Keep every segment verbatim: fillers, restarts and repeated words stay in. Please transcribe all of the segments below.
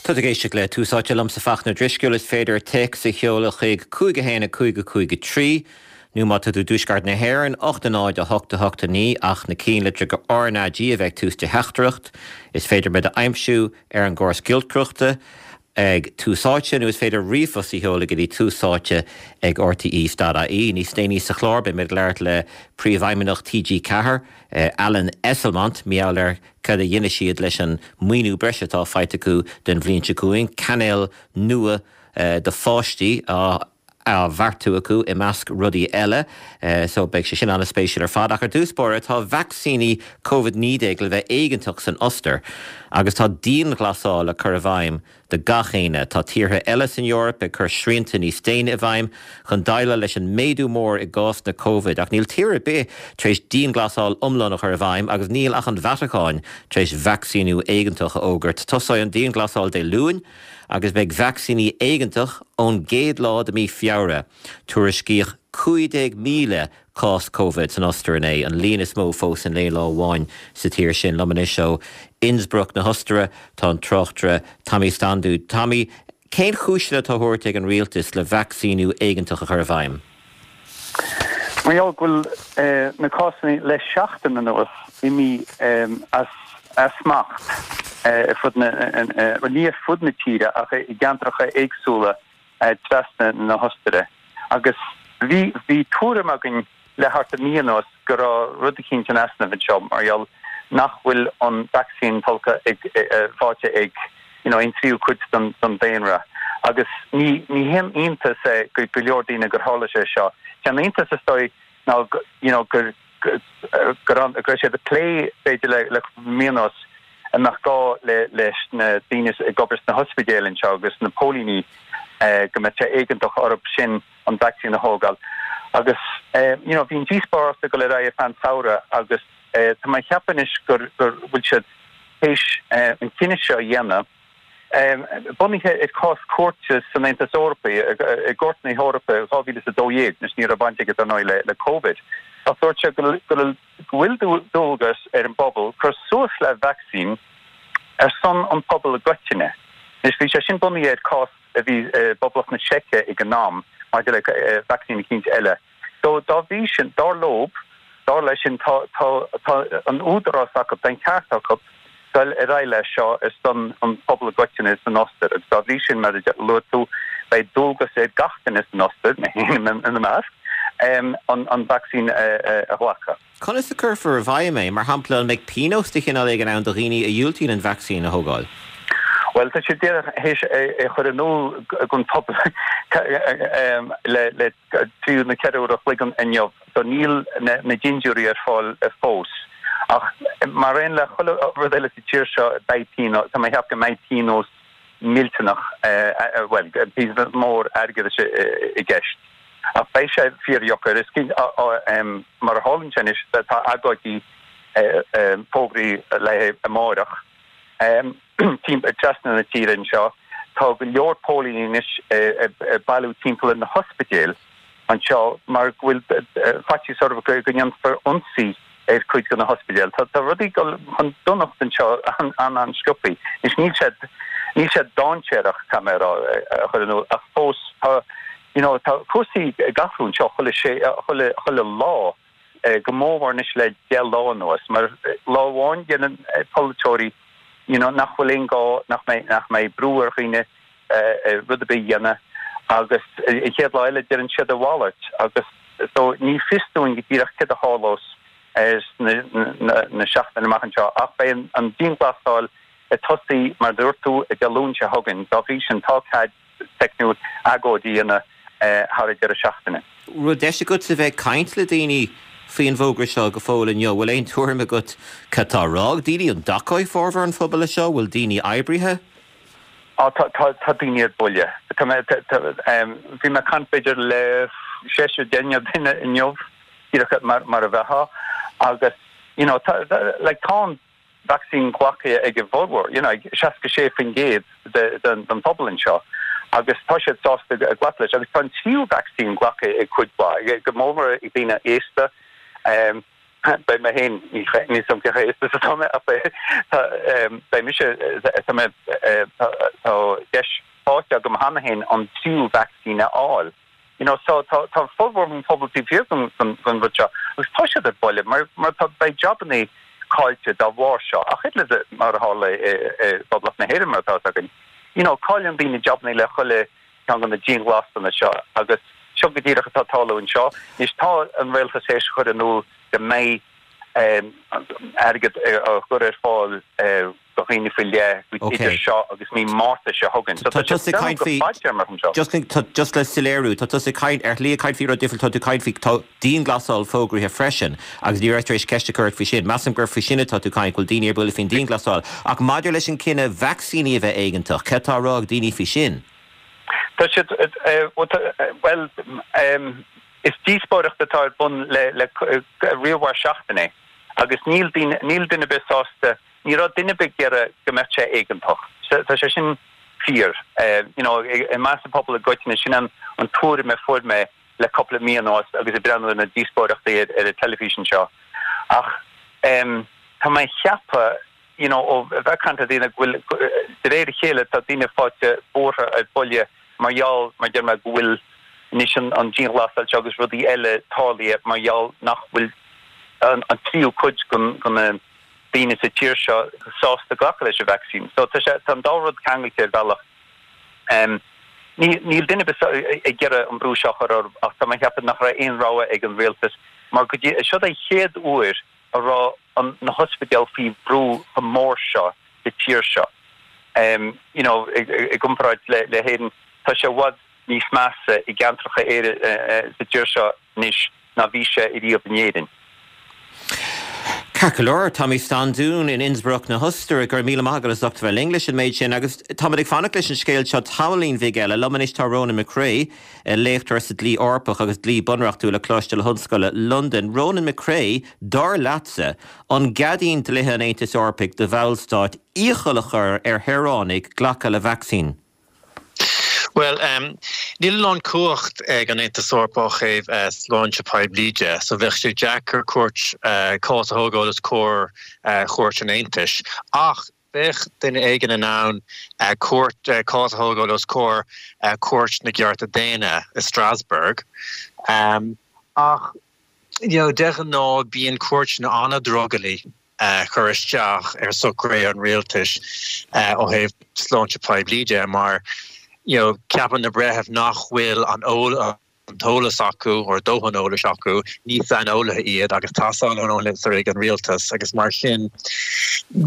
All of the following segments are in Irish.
Tá ag éisteacht le Tús Áite liomsa Fachtna Drisceoil is féidir téacs a sheoladh chuig cúig a haon a cúig a cúig a trí nó má tá tú i dtuaisceart na hÉireann ocht a náid a hocht a hocht a naoi ach na ceannlitreacha RnaG a bheith ag tús do theachtaireacht. Is féidir muid a aimsiú ar an gcóras giolcaireachta ag Tús Áite nó is féidir ríomhphost a sheoladh go dtí tús áite ag RTE dot IE. Níos déanaí sa chlár beidh mé ag labhairt le Príomhfheidhmeannach TG Ceathair, Alan Esslemont, mar gheall ar cad a dhéanfaidh siad leis an maoiniú breise atá faighte acu don bhliain seo chugainn, cainéal nua do pháistí á á bheartú acu i measc rudaí eile, so beidh sé sin an-spéisiúil ar fad. Ach ar dtús báire tá vacsaíní Covid naoi déag le bheith éigeantach san Ostair agus tá dianghlasáil le cur i bhfeidhm do gach éinne. Tá tíortha eile san Eoraip ag cur srianta níos déine i bhfeidhm chun déileáil leis an méadú mór i gcásanna Covid, ach níl tír ar bith tar éis dianghlasáil iomlán a chur i bhfeidhm agus níl ach an Vatacáin tar éis vacsaíniú éigeantach a fhógairt. Tosóidh an dianghlasáil Dé Luain agus beidh vacsaíní éigeantach ón gcéad lá de mhí Feabhra. Tuairiscíodh cúig déag míle cás Covid san Ostair inné, an líon is mó fós in aon lá amháin sa tír sin. Liom anois ó Innsbruck na hOstaire tá an tráchtaire Tommy Standu. Tommy, cén chúiseanna atá á thabhairt ag an rialtas le vacsaíniú éigeantach a chur i bhfeidhm? Mar gheall go bhfuil na cásanna le seachtain anuas imithe as smacht ar fud na, ní ar fud na tíre ach i gceantracha éagsúla trasna na hOstaire. Agus bhí bhí tuairim againn le thart ar mí anuas go raibh rud eicínt in easnamh anseo mar gheall nach bhfuil an vacsaín tolgtha ag faighte ag you know aon tríú cuid den den daonra. Agus ní ní haon iontas é go go leor daoine gur tharla sé seo. Sé an iontas is dóigh ná you know gur go raibh siad ag plé b'fhéidir le le mí anuas an mbeadh gá le leis na daoine ag obair sna hospidéil anseo agus na póilíní go mbeadh sé éigeantach orthu sin an vacsaín a thógáil. Agus you know bhí an díospóireacht ag dul ar aghaidh ar feadh an tsamhraidh agus tá mé ag ceapadh anois gur gur bhfuil siad théis an cinneadh seo a dhéanamh bunaithe ar chás cúirte san Aontas Eorpaí, i gCúirt na hEorpa dhá mhíle is a dó dhéag, anois ní raibh baint aige dar ndóigh le le Covid, ach dúirt sé go go bhfuil dualgas ar an bpobal cur suas le vacsaín ar son an pobail i gcoitinne. Anois bhí sé sin bunaithe ar cás a bhí i bPoblacht na Seice ag an am maidir le vacsaín eicínt eile. So dá bhrí sin, dar leo, dar leis sin, tá tá tá an údarás acu, tá an ceart acu dul ar aghaidh leis seo ar son an pobal i gcoitinne san Ostair agus dá bhrí sin, mar a luaigh tú, beidh dualgas ar gach duine san Ostair, mé féin ina measc, an an vacsaín a ghlacadh. Conas a cuirfear i bhfeidhm é? Mar shampla, an mbeidh pionós de chineál éigin ann do dhaoine a dhiúltaíonn an vacsaín a thógáil? Bhuel, tá siad díreach théis é a chur in iúl don phobal le le trí nó ceithre uair a chloig inniu, so níl na dintiúirí ar fáil fós. Ach mar aon le chuile rud eile sa tír seo, beidh pionós, tá mé ag ceapadh go mbeidh pionós millteanach, bhuel, pionós mór airgeadais i gceist. Ach beidh sé fíordheacair. Is cinnte, mar a tharlaíonn sé anois, tá agóidí fógraithe le haghaidh amáireach trasna na tíre anseo. Tá go leor póilíní anois ag bailiú timpeall ar na hospidéil anseo mar go bhfuil faitíos orthu go ndéanfar ionsaí ar chuid de na hospidéil. Tá rudaí ag dul chun donacht anseo an-an-sciobthaí. Anois níl sé níl sé dainséarach, caithfidh mé a rá, a chur in iúl, ach fós tá you know tá cúrsaí ag athrú anseo chuile sé chuile chuile lá, go mór mór anois le deich lá anuas, mar lá amháin déanann polaiteoirí you know nach bhfuil aon gá nach mbeidh nach mbeidh brú ar dhaoine rud ar bith a dhéanamh agus an chéad lá eile deireann siad a mhalairt agus so ní fios dúinn go díreach céard a tharlós sna na seachtainí amach anseo ach beidh an dianghlasáil ag tosaí mar a dúirt tú Dé Luain seo chugainn. Dá bhrí sin tá cead teicniúil agóid a dhéanamh thar an deireadh seachtaine. Raibh deis agat a bheith ag caint le daoine faoin bhfógra seo go fóill inniu. Bhfuil aon tuairim agat cad tá á rá ag daoine? An dtacóidh formhór an phobail leis seo? Bhfuil daoine oibrithe? Á, tá, tá, tá daoine ar buile. Tá mé, tá, tá, bhí mé ag caint b'fhéidir le seisear, deichniúr duine inniu, díreach mar, mar a bheifeá, agus, you know, tá, like, tá an vacsaín glactha ag a bhformhór, you know, ag seasca sé faoin gcéad den phobal anseo agus tá siad sásta glacadh leis. Agus tá an tríú vacsaín glactha ag cuid mhaith, go mór mór ag daoine aosta. Beidh mé féin, níl a fhios agam cé chomh haosta is atá mé ach beidh, beidh mise, tá mé, tá deis faighte agam cheana féin an tríú vacsaín a fháil. You know, so tá, tá formhór an pobal taobh thiar den, den, den rud seo agus tá siad ar buile mar, mar tá, beidh jabannaí caillte dá bharr seo. Ach oiread le mar a tharla i, i bPoblacht na hÉireann mar atá a fhios againn. You know, cailleann daoine jabannaí le chuile cheann de na dianghlasálanna seo agus seo go díreach atá ag tarlú anseo. Anois tá an rialtas théis a chur in iúl go mbeidh airgead á chur ar fáil do dhaoine faoi leith idir seo agus mí Márta seo chugainn. So tá tusa ag caint faoi, just le soiléiriú, tá tusa ag caint, ar shlí ag caint faoi rud difriúil, tá tú ag caint faoi, tá dianghlasáil fógraithe freisin agus ní raibh tar éis ceist a chur ort faoi sin. Measaim gur faoi sin atá tú ag caint, go bhfuil daoine ar buile faoin dianghlasáil. Ach maidir leis an cinneadh vacsaíní a bheith éigeantach, cad tá á rá ag daoine faoi sin? Tá siad, bhuel, is díospóireacht atá ar bun le riar seachtaine agus níl duine níl duine ar bith sásta, ní raibh duine ar bith ag iarraidh go mbeadh sé éigeantach. Tá sé sin fíor. You know, i measc an pobal i gcoitinne, sin an an tuairim a fuair mé le cúpla mí anuas agus ag breathnú ar na díospóireachtaí ar an teilifís anseo. Ach tá mé ag ceapadh you know, ó bheith ag caint le daoine go bhfuil, de réir a chéile, tá daoine faighte buartha ar buile mar gheall, mar deir mé, go bhfuil anois an, an dianghlasáil seo agus rudaí eile tarlaithe mar gheall nach bhfuil an, an tríú cuid den, den na daoine sa tír seo sásta glacadh leis an vacsaín. So tá sé, tá an dá rud ceangailte ar bhealach. Um, ní, níl duine ar bith ag iarraidh an brú seo a chur orthu ach tá mé ag ceapadh nach raibh aon rogha ag an rialtas mar go dtí, seo é chéad uair a raibh an na hospidéil faoi bhrú chomh mór seo sa tír seo. Um, you know, i, i, i gcomparáid le, le hÉirinn, tá sé i bhfad níos measa i gceantracha Éire, uh, uh, sa tír seo anois ná bhí sé riamh in Éirinn. Ceart go leor, Tommy Standún in Innsbruck na hOstaire, go raibh míle maith agat as ucht a bheith linn leis an méid sin agus táimid ag fanacht leis an scéal seo tamaillín bheag eile. Liom anois tá Ronan McCrea, léachtóir sa dlí Eorpach agus dlí bunreachtúil le Coláiste na hOllscoile Londain. Ronan McCrea, dar leatsa, an gceadaíonn dlíthe an Aontais Eorpaigh do bhallstáit iachall a chur ar shaoránaigh glacadh le vacsaín? Bhuel, níl a lán cumhacht ag an Aontas Eorpach ó thaobh sláinte poiblí de, so bheadh sé deacair cúirt cás a thógáil os comhair Chúirt an Aontais. Ach bheadh duine éigin in ann cúirt cás a thógáil os comhair Chúirt na gCearta Daonna i Strasbourg. Ach you know, de ghnáth bíonn cúirteanna an-drogallach cur isteach ar socruithe an rialtais ó thaobh sláinte poiblí de mar you know, ceapann na breithimh nach bhfuil an an t-eolas acu or dóthain eolais acu, ní saineolaithe iad agus tá saineolas ag an rialtas agus mar sin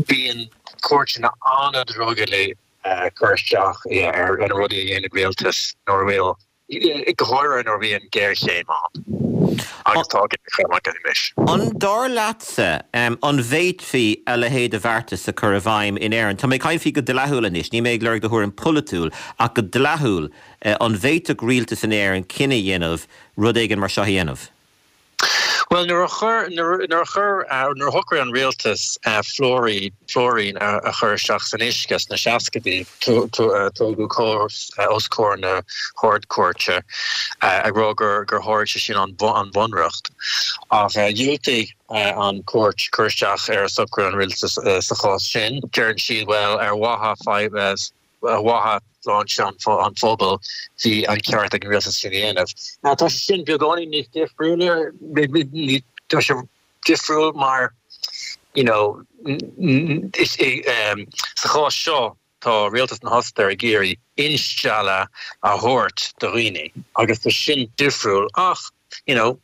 bíonn cúirteanna an-drogallach cur isteach ar na rudaí a dhéanann rialtas nuair a bhfuil go háirithe nuair a bhíonn géarchéim ann agus tá géarchéim againn anois. An dar leatsa an bhféadfaí a leithéid de bheartas a chur i bhfeidhm in Éirinn? Tá mé ag caint faoi go dleathúil anois, ní mé ag lorg do thuairim pholaitiúil, ach go dleathúil, an bhféadfadh rialtas in Éirinn cinneadh a dhéanamh rud éigin mar seo a dhéanamh? Bhuel, nuair a chuir, nuair a chuir, nuair a shocraigh an rialtas fluairíd, fluairín a chur isteach san uisce sna seascaidí, tógadh cás os comhair na hArd-Chúirte ag rá gur gur sháraigh sé sin an Bhunreacht. Ach dhiúltaigh an chúirt cur isteach ar socrú an rialtais sa chás sin. Deireann siad, bhuel, ar mhaithe ar mhaithe sláinte an phobail, bhí an ceart ag an rialtas sin a dhéanamh. Now tá sé sin beagáinín níos difriúla, tá sé difriúil mar you know, sa chás seo tá rialtas na hOstaire ag iarraidh instealladh a thabhairt do dhaoine agus tá sin difriúil ach you know,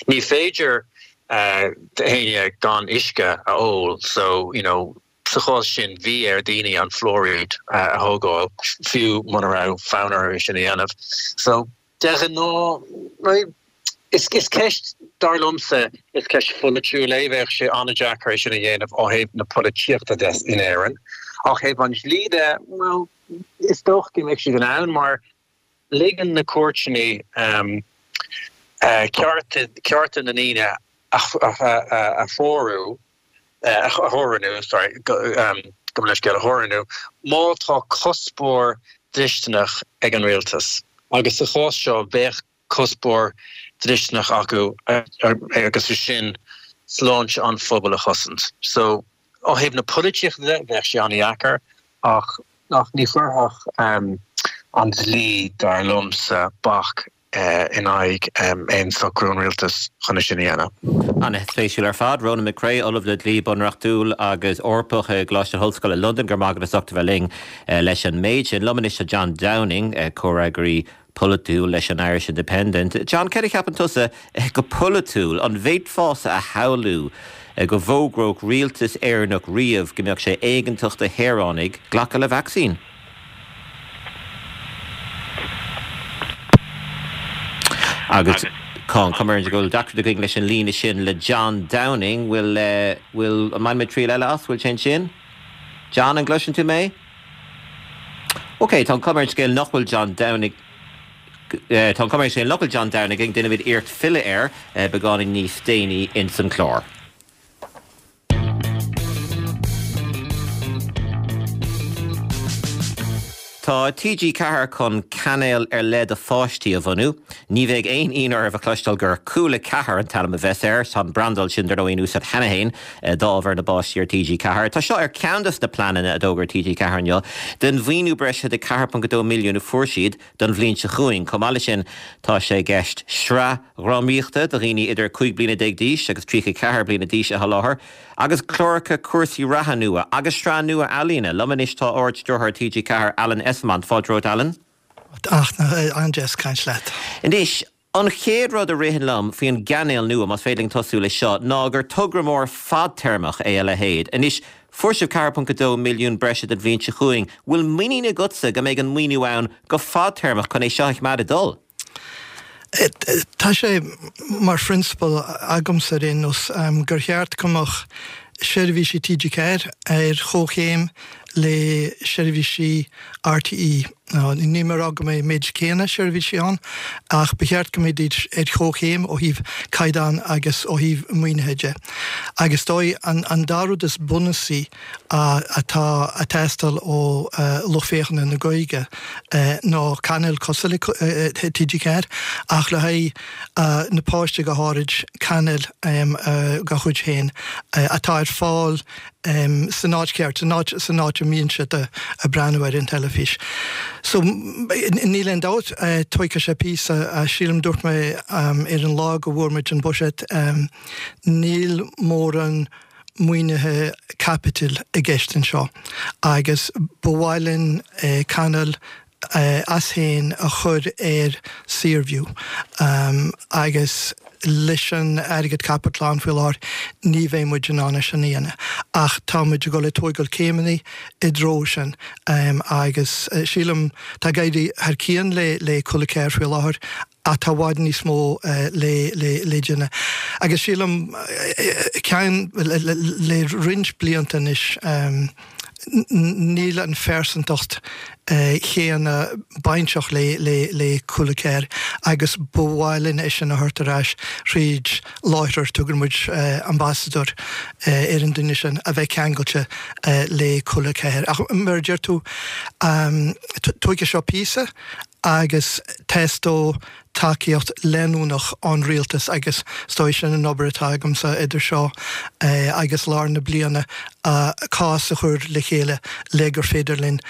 ní féidir d'éinne gan uisce a ól so you know, Sa chás sin, bhí ar daoine an fluairíd a thógáil, fiú muna raibh fonn orthu é sin a dhéanamh. So, de ghnáth, is ceist, dar liomsa, is ceist pholaitiúil é. Bheadh sé an-deacair é sin a dhéanamh ó thaobh na polaitíochta de in Éirinn. Ó thaobh an dlí de, bhuel, is dócha go mbeadh siad in ann mar ligeann na cúirteanna cearta na ndaoine a threorú. a theorannú, sorry, gabh mo leithscéal, a theorannú, má tá cuspóir dlisteanach ag an rialtas, agus sa chás seo bheadh cuspóir dlisteanach acu agus é sin sláinte an phobail a chosaint. So ó thaobh na polaitíochta de bheadh sé an-deacair ach ach ní chuirfeadh um, an dlí dar liomsa bac uh, in aghaidh um, aon socrú an rialtas chun sin a dhéanamh. An-spéisiúil ar fad, Ronan McCrea, Ollamh le Dlí Bunreachtúil agus Eorpach i gColáiste na hOllscoile Londain go raibh maith agat as ucht a bheith linn uh, leis an méid sin. Liom anois John Downing, uh, comhfhreagraí polaitiúil leis an Irish Independent. John céard a cheapann tusa go polaitiúil an bhféadfása a shamhlú go bhfógródh rialtas Éireannach riamh go mbeadh sé éigeantach do shaoránaigh glacadh le vacsaín. Agus Con cumar go bhfuil deacracht againn leis an líne sin le John Downing bhfuil bhfuil an mé triail eile as bhfuil sin sin? John an gcloiseann tú mé? Ok, tá cumar scéal nach bhfuil John Downing Uh, tá cumar sé local John Downing ag déanamh iarracht filleadh air uh, beagáinín níos déanaí in san chlár. Tá TG Ceathair chun cainéal ar leith do pháistí a bhunú. Ní bheidh aon ionadh oraibh a chloisteáil gur Cúla Ceathair an t-ainm a bheas air, tá an brandáil sin dar ndóigh in úsáid cheana féin d'ábhar na bpáistí ar TG Ceathair. Tá seo ar ceann de na pleananna a d'fhógair TG Ceathair inniu den mhaoiniú breise de ceathair ponc a dó milliún a fuair siad don bhliain seo chugainn. Chomh maith leis sin tá sé i gceist sraith dhrámaíochta do dhaoine idir cúig bliana déag d'aois agus tríocha ceathair bliana d'aois a sholáthar. Agus cláracha cúrsaí reatha nua agus sraith nua ealaíne. Liom anois tá Ard-Stiúrthóir TG Ceathair Alan Esslemont. Fáilte romhat Alan. Ach an-deas caint leat. Anois, an chéad rud a ritheann liom faoin gcainéal nua, más féidir linn tosú leis seo, ná gur togra mór fadtéarmach é a leithéid. Anois, fuair sibh ceathair ponc a dó milliún breise don bhliain seo chugainn. Bhfuil muinín agatsa go mbeidh an maoiniú ann go fadtéarmach chun é seo a choimeád ag dul? Tá sé mar phrionsabal agamsa ar aon nós gur cheart go mbeadh seirbhísí TG Ceathair ar chomhchéim le seirbhísí RTÉ. Níl mé ag rá go mbeidh méid céanna seirbhísí ann ach ba cheart go mbeidís ar chomhchéim ó thaobh caighdeán agus ó thaobh maoinithe de. Agus dóigh an dá rud is bunúsaí atá ag teastáil ó lucht féachana na Gaeilge ná cainéal cosúil le TG Ceathair ach le haghaidh na páistí go háirid cainéal dá chuid féin atá ar fáil san áit cheart, san áit san áit a mbíonn siad ag breathnú ar an teilifís. So níl aon dabht, tógfaidh sé píosa, sílim dúirt mé ar an lá go bhfuair muid an buiséad, níl mórán maoinithe caipitil i gceist anseo agus ba mhaith linn cainéal as féin a chur ar Saorview agus leis an airgead caipitil ann faoi láthair ní bheidh muid in ann é sin a dhéanamh. Ach tá muid ag dul ag tógáil céimeanna i dtreo sin agus sílim tá ag éirí thar cionn le le Cúla Ceathair faoi láthair ach tá i bhfad níos mó le le le déanamh. Agus sílim ceann le roinnt blianta anois níl an phearsantacht chéanna bainteach le le le Cúla Ceathair agus ba mhaith linn é sin a thabhairt ar ais thríd láithreoir, tugann muid ambasadóir ar an duine sin, a bheith ceangailte le Cúla Ceathair. Ach mar a deir tú, tógfaidh seo píosa agus teastóidh tacaíocht leanúnach ón rialtas agus is dóigh sin an obair atá agamsa idir seo agus lár na bliana, cás a chur le chéile le gur féidir linn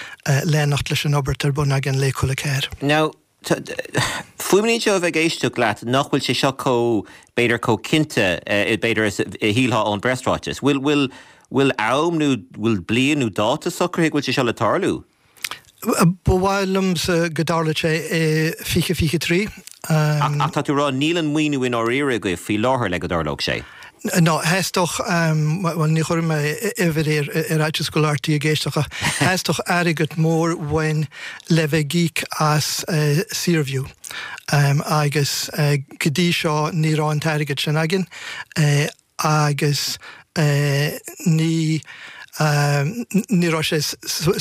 leanacht leis an obair atá ar bun againn le Cúla Ceathair. Now, fuaimníonn sé ó bheith ag éisteacht leat nach bhfuil sé seo chomh, b'fhéidir, chomh cinnte, b'fhéidir, is a shílfeá ón bpreasráiteas. Bhfuil, bhfuil, bhfuil am nó bhfuil bliain nó dáta socraithe go bhfuil sé seo le tarlú? Ba mhaith liomsa go dtarlódh sé i fiche fiche trí. Ach tá tú ag rá níl an maoiniú i ndáiríre agaibh faoi láthair le go dtarlódh sé? Ná, theastódh, bhuel ní chuirfidh mé uimhir ar ar fhaitíos go bhfuil RTÉ ag éisteacht ach theastódh airgead mór uainn le bheith ag íoc as Saorview agus go dtí seo ní raibh an t-airgead sin againn. agus ní ní raibh sé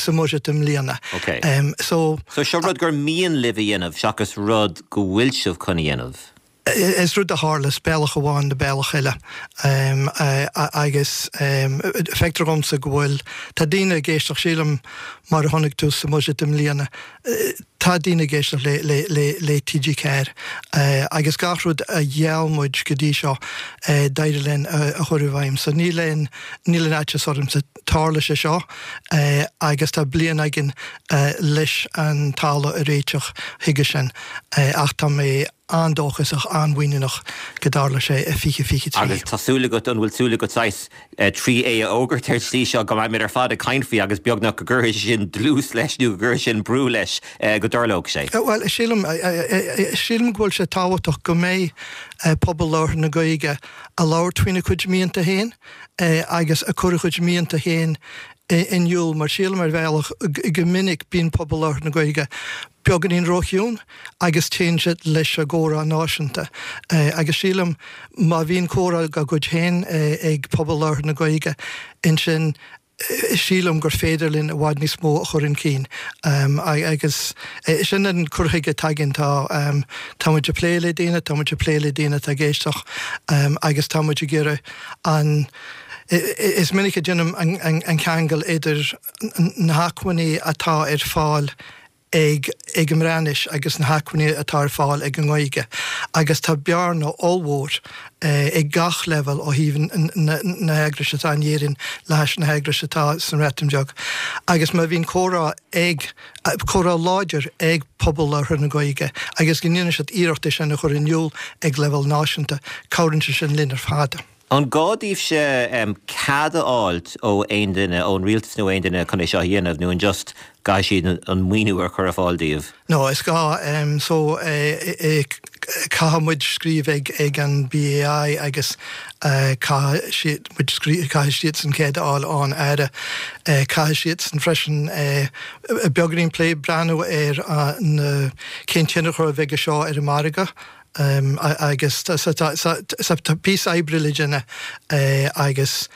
sa mbuiséad i mbliana. Ok. So. So seo rud gur mian libh a dhéanamh seachas rud go bhfuil sibh chun a dhéanamh? Is rud a tharlós bealach amháin nó bealach eile agus feictear dhomsa go bhfuil, tá daoine ag éisteacht, sílim, mar a chonaic tú sa mbuiséad i mbliana, tá daoine ag éisteacht le T G ceathair agus gach rud a gheall muid go dtí seo d'éirigh linn a chur i bhfeidhm. So níl aon níl aon fhaitíos ormsa, tarlóidh sé seo agus tá bliain againn leis an talamh a réiteach chuige sin ach tá mé an-dóchasach, an-mhuiníneach go dtarlóidh sé i fiche fiche trí. Agus tá súil agat, an bhfuil súil agat saghas trí é a fhógairt ar slí seo go mbeimid ar fad ag caint faoi agus beagnach go gcuirfidh sin dlús leis nó go gcuirfidh sin brú leis go dtarlódh sé? Bhuel, sílim, sílim go bhfuil sé tábhachtach go mbeidh pobal labhartha na Gaeilge a labhairt faoina cuid mianta féin agus a cur a chuid mianta féin in iúl, mar sílim ar bhealach go minic bíonn pobal labhartha na Gaeilge beagáinín róchiúin agus téann siad leis an gcomhrá náisiúnta. Agus sílim má bhíonn comhrá dá gcuid féin ag pobal labhartha na Gaeilge ansin sílim gur féidir linn i bhfad níos mó a chur chun cinn. Agus sin an cur chuige atá againn, tá tá muid ag plé le daoine, tá muid ag plé le daoine atá ag éisteacht agus tá muid ag iarraidh an Is minic a déanaim an ceangal idir na hacmhainní atá ar fáil ag ag an mBreatnais agus na hacmhainní atá ar fáil ag an nGaeilge agus tá bearna ollmhór ag gach leibhéal ó thaobh na heagrais atá in Éirinn le hais na heagrais atá san Bhreatain Bheag. Agus má bhíonn comhrá ag comhrá láidir ag pobal labhartha na Gaeilge agus go ndéanann siad iarracht é sin a chur in iúl ag leibhéal náisiúnta, cabhraíonn sé sin linn ar fad. An gá daoibhse cead a fháilt ó aon duine, ón rialtas nó aon duine chun é seo a dhéanamh nó an just caithfidh siad an maoiniú a chur ar fáil daoibh? No, is gá so caithfidh muid scríobh ag ag an B A I agus caithfidh siad muid caithfidh siadsan cead a fháil ón Aire. Caithfidh siadsan freisin beagáinín plé breathnú ar na cén tionchar a bheidh seo ar an margadh. Agus tá píosa oibre le déanamh agus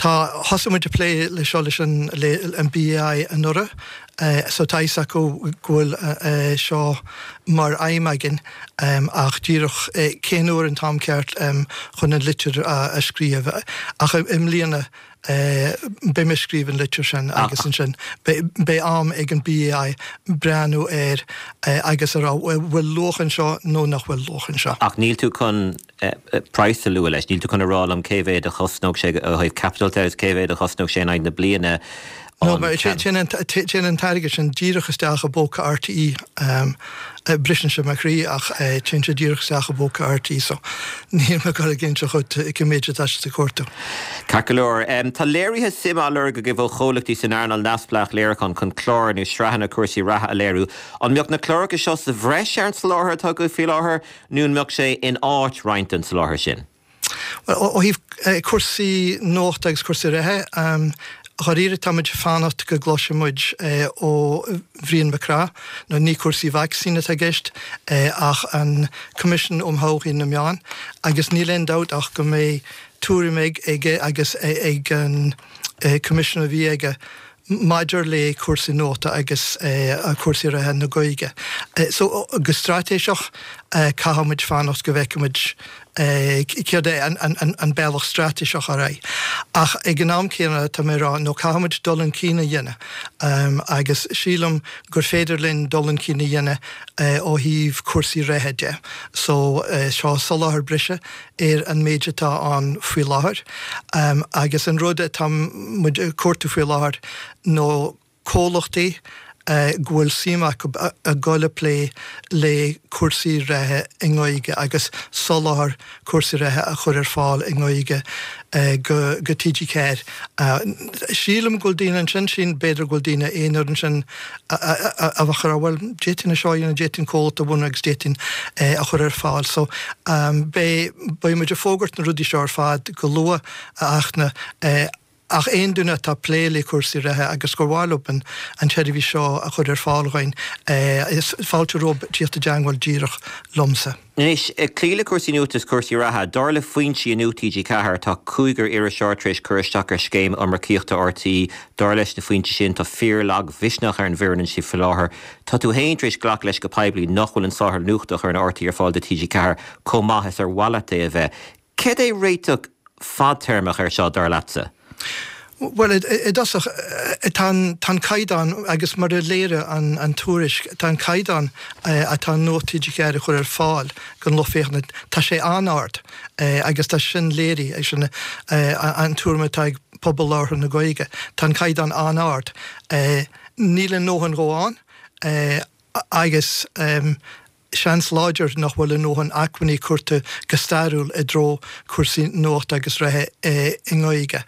tá thosaigh muid ag plé le seo leis an le an B A I anuraidh so tá fhios acu go bhfuil seo mar aidhm againn ach díreach cén uair an t-am ceart chun an litir a scríobh ach i mbliana beidh mé ag scríobh an litir sin agus ansin beidh am ag an B A I breathnú air agus a rá bhfuil luach anseo nó nach bhfuil luach anseo. Ach níl tú chun praghas a lua leis, níl tú chun a rá liom cé mhéad a chosnódh sé ó thaobh capital de, cé mhéad a chosnódh sé in aghaidh na bliana? No, téann an t-airgead sin díreach isteach i bpóca R T É. Briseann sé mo chroí ach téann sé díreach isteach i bpóca R T É, so níl mé ag dul ag inse dhuit cé méid atá siad ag cuartú. Ceart go leor. Tá léirithe suime á lorg agaibh ó chomhlachtaí san earnáil neamhspleách léiriúcháin chun cláir nó sraitheanna cúrsaí reatha a léiriú. An mbeadh na cláracha seo sa bhreis ar an soláthar atá agaibh faoi láthair nó an mbeadh sé in áit roinnt den soláthar sin? Well, ó thaobh cúrsaí nuachta agus cúrsaí reatha, dháiríre táimid ag fanacht go gcloisfidh muid ó Bhrian Mac Craith, nó ní cúrsaí vacsaín atá i gceist ach an Coimisiún um Thodhchaí na Meán, agus níl aon dabht ach go mbeidh tuairim aige agus ag an Coimisiún a bhí aige maidir le cúrsaí nuachta agus cúrsaí reatha na Gaeilge. So go straitéiseach caithfidh muid fanacht go bhfeicfidh muid céard é an bealach straitéiseach ar aghaidh. Ach ag an am céanna tá mé rá nó caithfidh muid dul chun cinn a dhéanamh agus sílim gur féidir linn dul chun cinn a dhéanamh ó thaobh cúrsaí reatha de. So seo soláthar breise ar an méid atá ann faoi láthair agus an rud atá muid ag cuartú faoi láthair nó comhlachtaí go bhfuil suim acu a dhul ag plé le cúrsaí reatha i nGaeilge agus soláthar cúrsaí reatha a chur ar fáil i nGaeilge go go T G ceathair. Sílim go bhfuil daoine ansin sin b'fhéidir go bhfuil daoine aonair ansin a bheadh ag rá bhuel d'fhéadfainn seo a dhéanamh, d'fhéadfainn comhlacht a bhunú agus d'fhéadfainn a chur ar fáil. So beidh beidh muid ag fógairt na rudaí seo ar fad go luath a Fhachtna. Ach aon duine atá ag plé le cúrsaí reatha agus gur mhaith leo an tseirbhís seo a chur ar fáil dhúinn, is fáilte rompu tíocht i dteangmháil díreach liomsa. Anois, ag cloí le cúrsaí nuachta is cúrsaí reatha, dar le foinsí i Nuacht TG Ceathair, tá cúigear iriseoir tar éis cur isteach ar scéim iomarcaíochta RTÉ. Dar leis na foinsí sin, tá fíor-lagmhisneach ar an bhfoireann ansin faoi láthair. Tá tú féin tar éis glacadh leis go poiblí nach bhfuil an soláthar nuachta a chuireann RTÉ ar fáil do TG Ceathair chomh maith is ar mhaith leat é a bheith. Céard é réiteach fadtéarmach air seo, dar leatsa? Bhuel, i dtosach, tá an caighdeán, agus mar a léirigh an tuairisc, tá an caighdeán atá Nuacht TG Ceathair a chur ar fáil don lucht féachana, tá sé an-ard agus tá sin léirithe, sin an tuairim atá ag pobal labhartha na Gaeilge, tá an caighdeán an-ard. Níl a ndóthain dhó ann agus. Seans láidir nach bhfuil a ndóthain acmhainní curtha go stairiúil i dtreo cúrsaí nuachta agus reatha i nGaeilge.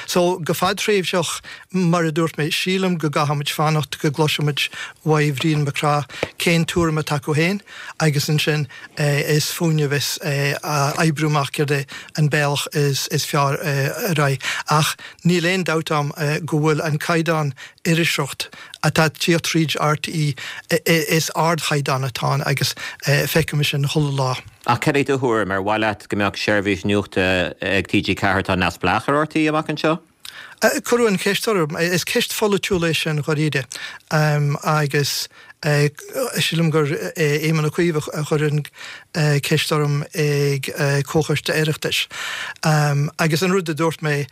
So, go fadtréimhseach, mar a dúirt mé, sílim go gcaithfimid fanacht go gcloisfimid uaidh Bhrian Mac Craith cén tuairim atá acu féin agus ansin is fúinne a bheas a oibriú amach céard é an bealach is fearr ar aghaidh. Ach níl aon dabht a'm go bhfuil an caighdeán iriseoireacht atá ag tíocht tríd RTÉ, is ardchaighdeán atá ann agus feicim sin chuile lá. Ach cad é do thuairim, ar mhaith leat go mbeadh seirbhís nuachta ag TG Ceathair atá neamhspleách ar RTÉ amach anseo? Cuireadh an cheist orm. Is ceist pholaitiúil é sin dháiríre agus sílim gur Éamon Ó Cuív a chuir an ceist orm ag Comhchoiste Oireachtais. Agus an rud a dúirt mé,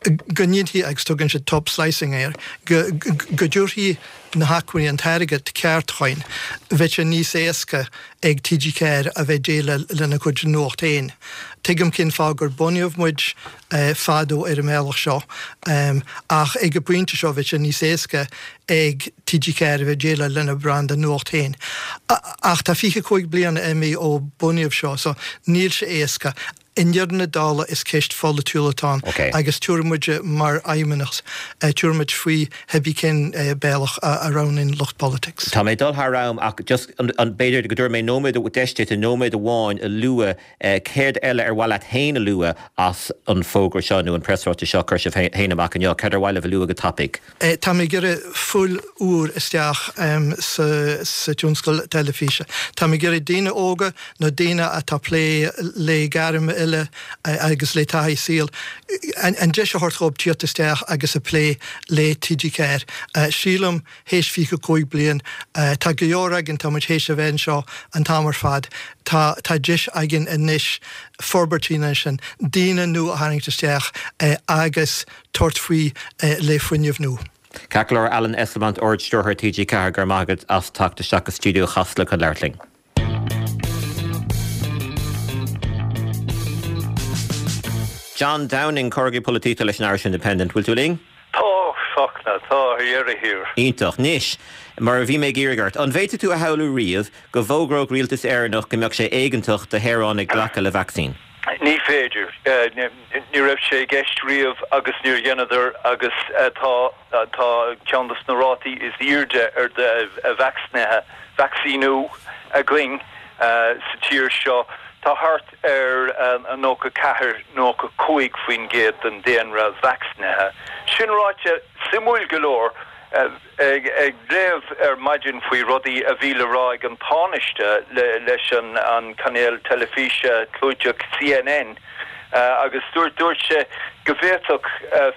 go ndéanfaí, agus tugann siad top slicing air, go dtabharfaí na hacmhainní, an t-airgead ceart chugainn, bheadh sé níos éasca ag TG Ceathair a bheith déileáil lena cuid nuacht féin. Tuigim cén fáth gur bunaíodh muid fadó ar an mbealach seo, ach ag an bpointe seo bheadh sé níos éasca ag TG Ceathair a bheith déileáil lena branda nuacht féin. Ach tá fiche cúig bliana imithe ó bunaíodh seo, so níl sé éasca. I ndeireadh na dála is ceist pholaitiúil atá ann agus tabharfaidh muid mar fheidhmeannas, tabharfaidh muid faoi cibé cén bealach a roghnaíonn lucht politics. Tá mé ag dul thar am ach just an b'fhéidir go dtabharfaidh mé nóiméad, deis duit nóiméad amháin a lua céard eile ar mhaith leat féin a lua as an bhfógra seo nó an preasráiteas seo a chuir sibh féin amach inniu, céard ar mhaith libh a lua go tapaidh? Tá mé ag iarraidh fuil úr isteach sa tionscal teilifíse. Tá mé ag iarraidh daoine óga nó daoine atá ag plé le gairm eile agus le taithí saoil, an deis a thabhairt dhóibh tíocht isteach agus a plé le TG Ceathair. Sílim, théis fiche cúig bliain, tá go leor againn, tá muid théis a bheith anseo an t-am ar fad, tá tá deis againn anois forbairt a dhéanamh ansin, daoine nua a tharraingt isteach agus tabhairt faoi le fuinneamh nua. Ceart go leor, Alan Esslemont, Ard-Stiúrthóir TG Ceathair, go raibh maith agat as teacht isteach go stiúideo Chasla chun labhairt linn. John Downing, comhfhreagraí polaitíochta leis an Irish Independent, bhfuil tú linn? Tá, Fachtna, tá, ar dheireadh thiar. Iontach. Anois, mar a bhí mé ag iarraidh ort, an bhféadfadh tú a shamhlú riamh go bhfógródh rialtas Éireannach go mbeadh sé éigeantach do shaoránaigh glacadh le vacsaín? Ní féidir. Ní raibh sé i gceist riamh agus níor dheineadar agus tá tá ceann dos na rátaí is airde ar de vacsaínithe, vacsaíniú againn sa tír seo. Tá thart ar nócha ceathair, nócha cúig faoin gcéad den daonra vacsaínithe. Sin ráite, suimiúil go leor, ag léamh ar maidin faoi rudaí a bhí le rá ag an Tánaiste leis an cainéal teilifíse clúiteach CNN agus dúirt dúirt sé go bhféadfadh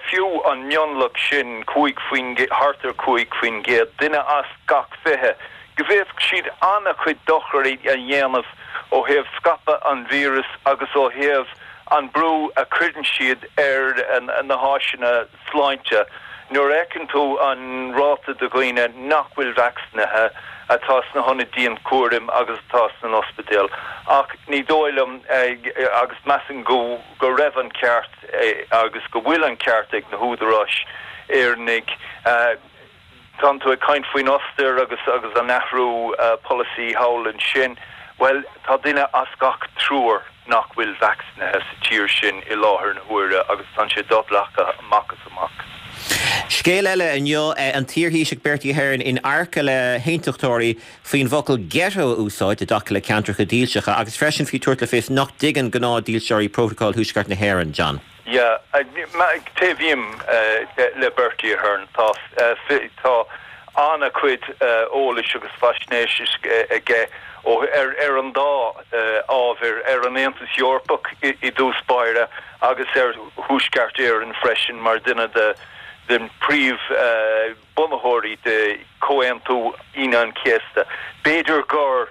fiú an mionlach sin, cúig faoin thart ar cúig faoin gcéad, duine as gach fiche, go bhféadfadh siad an-chuid dochair a dhéanamh ó thaobh scaipeadh an víreas agus ó thaobh an brú a chuireann siad ar na háiseanna sláinte. Nuair a fheiceann tú an ráta de dhaoine nach bhfuil vacsaínithe atá sna hionaid dianchúraim agus atá sna n-ospidéil. Ach ní dóigh liom, agus measaim go go raibh an ceart agus go bhfuil an ceart ag na húdaráis Éireannaigh, Tánn tú ag caint faoin Ostair agus agus an athrú polasaí thall ansin. Bhuel, tá duine as gach triúr nach bhfuil vacsaínithe sa tír sin i láthair na huaire agus tá sé do-ghlactha amach is amach. Scéal eile inniu, an t-iarThaoiseach Bertie Ahern in adharca le haontachtóirí faoin bhfocal ghetto a úsáid i dtaca le ceantracha dílseacha agus freisin faoi tabhairt le fios nach dtuigeann gnáth-dhílseoirí prótacal Thuaisceart na hÉireann. John. Yeah, taobhaím le Bertie Ahern. Tá tá an-chuid eolais agus faisnéise aige ó ar ar an dá ábhar ar an Aontas Eorpach i dtús báire agus ar Thuaisceart Éireann freisin mar duine de den príomh bunaitheoirí de Chomhaontú Aoine an Chéasta. B'fhéidir gur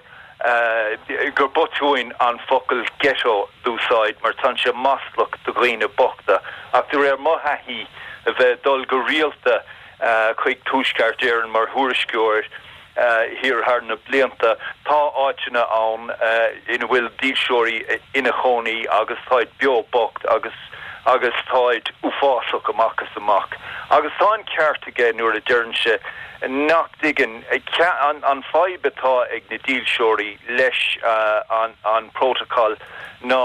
gur botún an focal ghetto d'úsáid mar tá sé maslach do dhaoine bochta, ach de réir mo thaithí a bheith dul go rialta chuig Tuaisceart Éireann mar thuairisceoir thiar thar na blianta, tá áiteanna ann ina bhfuil dílseoirí ina chónaí agus táid beo bocht agus agus táid uafásach amach is amach. Agus tá an ceart aige nuair a deireann sé nach dtuigeann an an fadhb atá ag na dílseoirí leis an an protocol ná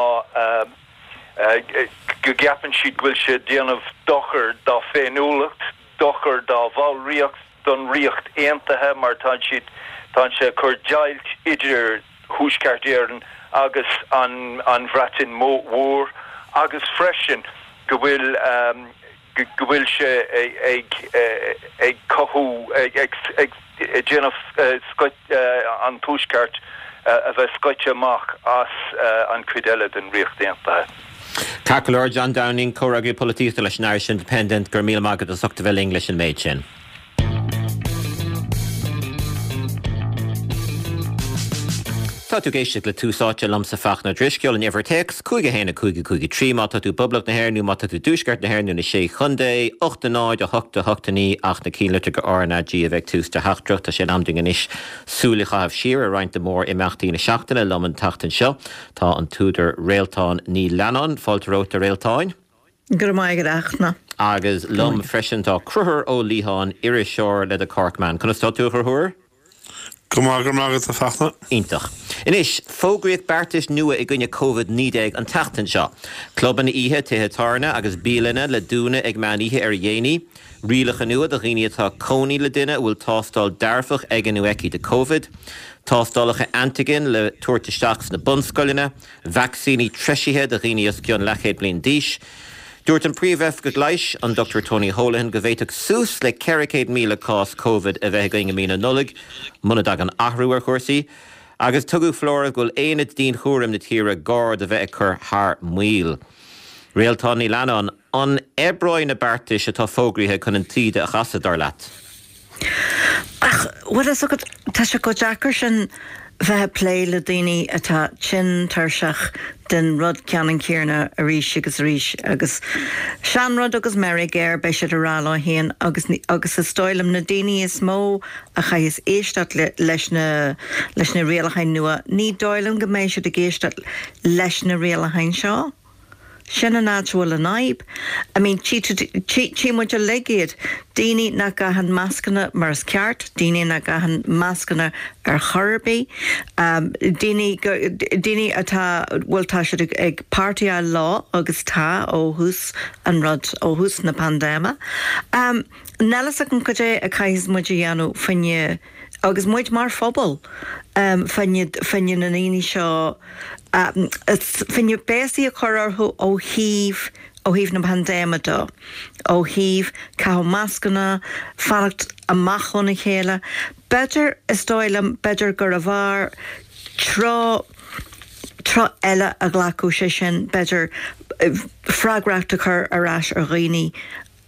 go gceapann siad go bhfuil sé déanamh dochar dá féiniúlacht, dochar dá bhallraíocht don Ríocht Aontaithe mar tá siad tá sé cur deighilt idir Thuaisceart Éireann agus an an Bhreatain Mhór agus freisin go bhfuil go bhfuil sé ag ag cothú ag ag déanamh an Tuaisceart a bheith scoite amach as an cuid eile den Ríocht Aontaithe. Ceart go leor John Downing comhfhreagraí polaitíochta leis an Irish Independent go raibh míle maith agat as ucht a bheith linn leis an méid sin. Tá tú ag éisteacht le Tús Áite liomsa Fachtna Drisceoil an uimhir téacs cúig a haon a cúig a cúig a trí má tá tú Poblacht na hÉireann nó má tá tú Tuaisceart na hÉireann nó na Sé Chontae, ocht a náid a hocht a hocht a naoi ach na cinnlitreacha R N A G a bheith ag tús do theachtaireacht. Tá sé in am dúinn anois súil a chaitheamh siar ar roinnt de mór imeachtaí na seachtaine liom an tseachtain seo. Tá an t-údar Réaltán Ní Leannáin, fáilte romhat a Réaltáin. Go raibh maith agat a Fhachtna. Agus liom freisin tá Conchúr Ó Liatháin, iriseoir le The Corkman. Conas tá tú a Chonchúir? Go maith go raibh maith agat a Fhachtna. Iontach. Anois, fógraíodh beartais nua i gcoinne Covid naoi déag an tseachtain seo. Clubanna oíche, tithe tábhairne agus bialanna le dúnadh ag meán oíche ar a dhéanaí. Rialacha nua do dhaoine atá cónaí le duine a bhfuil tástáil dearfach aige nó aici de Covid. Tástálacha antigen le tabhairt isteach sna bunscoileanna, vacsaíní treisithe do dhaoine os cionn leathchéad bliain d'aois. Dúirt an príomhoifigeach leighis, an Dochtúir Tony Holohan, go bhféadfadh suas le ceithre chéad míle cás Covid a bheith againn i mí na Nollag, muna dtagann athrú ar chúrsaí, agus tugadh foláireamh go bhfuil aonaid dianchúraim na tíre gar do bheith ag cur thar maoil. Réaltán Ní Leannáin, an oibreoidh na beartais atá fógraithe chun an taoide a chasadh dar leat? Ach, bhfuil fhios agat, tá sé chomh deacair sin bheith ag plé le daoine atá tinn tuirseach den rud ceannann céanna arís agus arís agus seanrud agus meirg air, beidh siad ag rá leo féin agus agus is dóigh liom na daoine is mó a chaithfeas éisteacht le leis na leis na rialacháin nua, ní dóigh liom go mbeidh siad ag éisteacht leis na rialacháin seo. Sin an áit a bhfuil an fhadhb. I mean, tchí tchí muid uilig iad, daoine nach gcaitheann mascanna mar is ceart, daoine nach gcaitheann mascanna ar chor ar bith, daoine daoine atá, bhuel tá siad ag ag partyáil leo agus tá ó thús an rud, ó thús na paindéime. Níl fhios agam cad é a chaithfeas muid a dhéanamh fá choinne, agus muid mar phobal, fá choinne fá choinne na ndaoine seo, fá choinne béasaí a chur orthu ó thaobh ó thaobh na paindéime de, ó thaobh caitheamh mascanna, fanacht amach óna chéile. B'fhéidir, is dóigh liom, b'fhéidir gurbh fhearr treo treo eile a ghlacadh, sé sin, b'fhéidir freagracht a chur ar ais ar dhaoine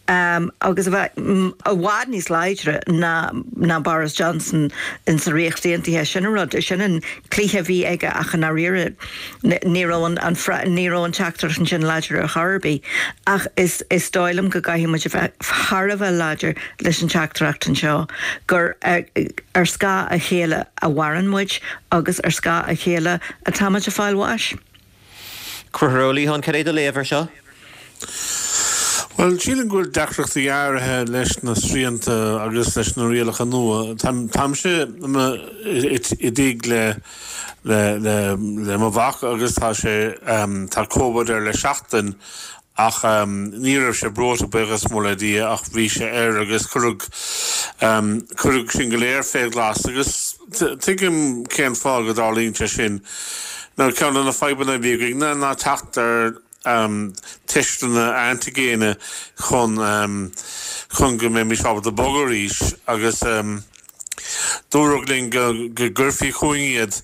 agus a bheith i bhfad níos láidre ná ná Boris Johnson in sa Ríocht Aontaithe. Sin an rud, sin an cluiche a bhí aige ach i ndáiríre ní raibh an an ní raibh an teachtaireacht ansin láidir ar chor ar bith. Ach is is dóigh liom go gcaithfidh muid a bheith thar a bheith láidir leis an teachtaireacht anseo gur ar ar scáth a chéile a mhaireann muid agus ar scáth a chéile atá muid ag fáil bháis. Conchúr Ó Liatháin, cad é do léamh air seo? Bhuel, sílim go bhfuil deacrachtaí áirithe leis na srianta agus leis na rialacha nua. Táimse i dtigh le le le le mo mhac agus tá sé tá Covid air le seachtain ach ní raibh sé breoite buíochas mór le Dia ach bhí sé air agus cuireadh cuireadh sinn go léir fé ghlas agus tuigim cén fáth go dtarlaíonn sé sin. Now ceann de na fadhbanna a bhí againn ná teacht ar teisteanna antaigéine chun chun go mbeimis ábalta bogadh arís agus dúradh linn go gcuirfí chugainn iad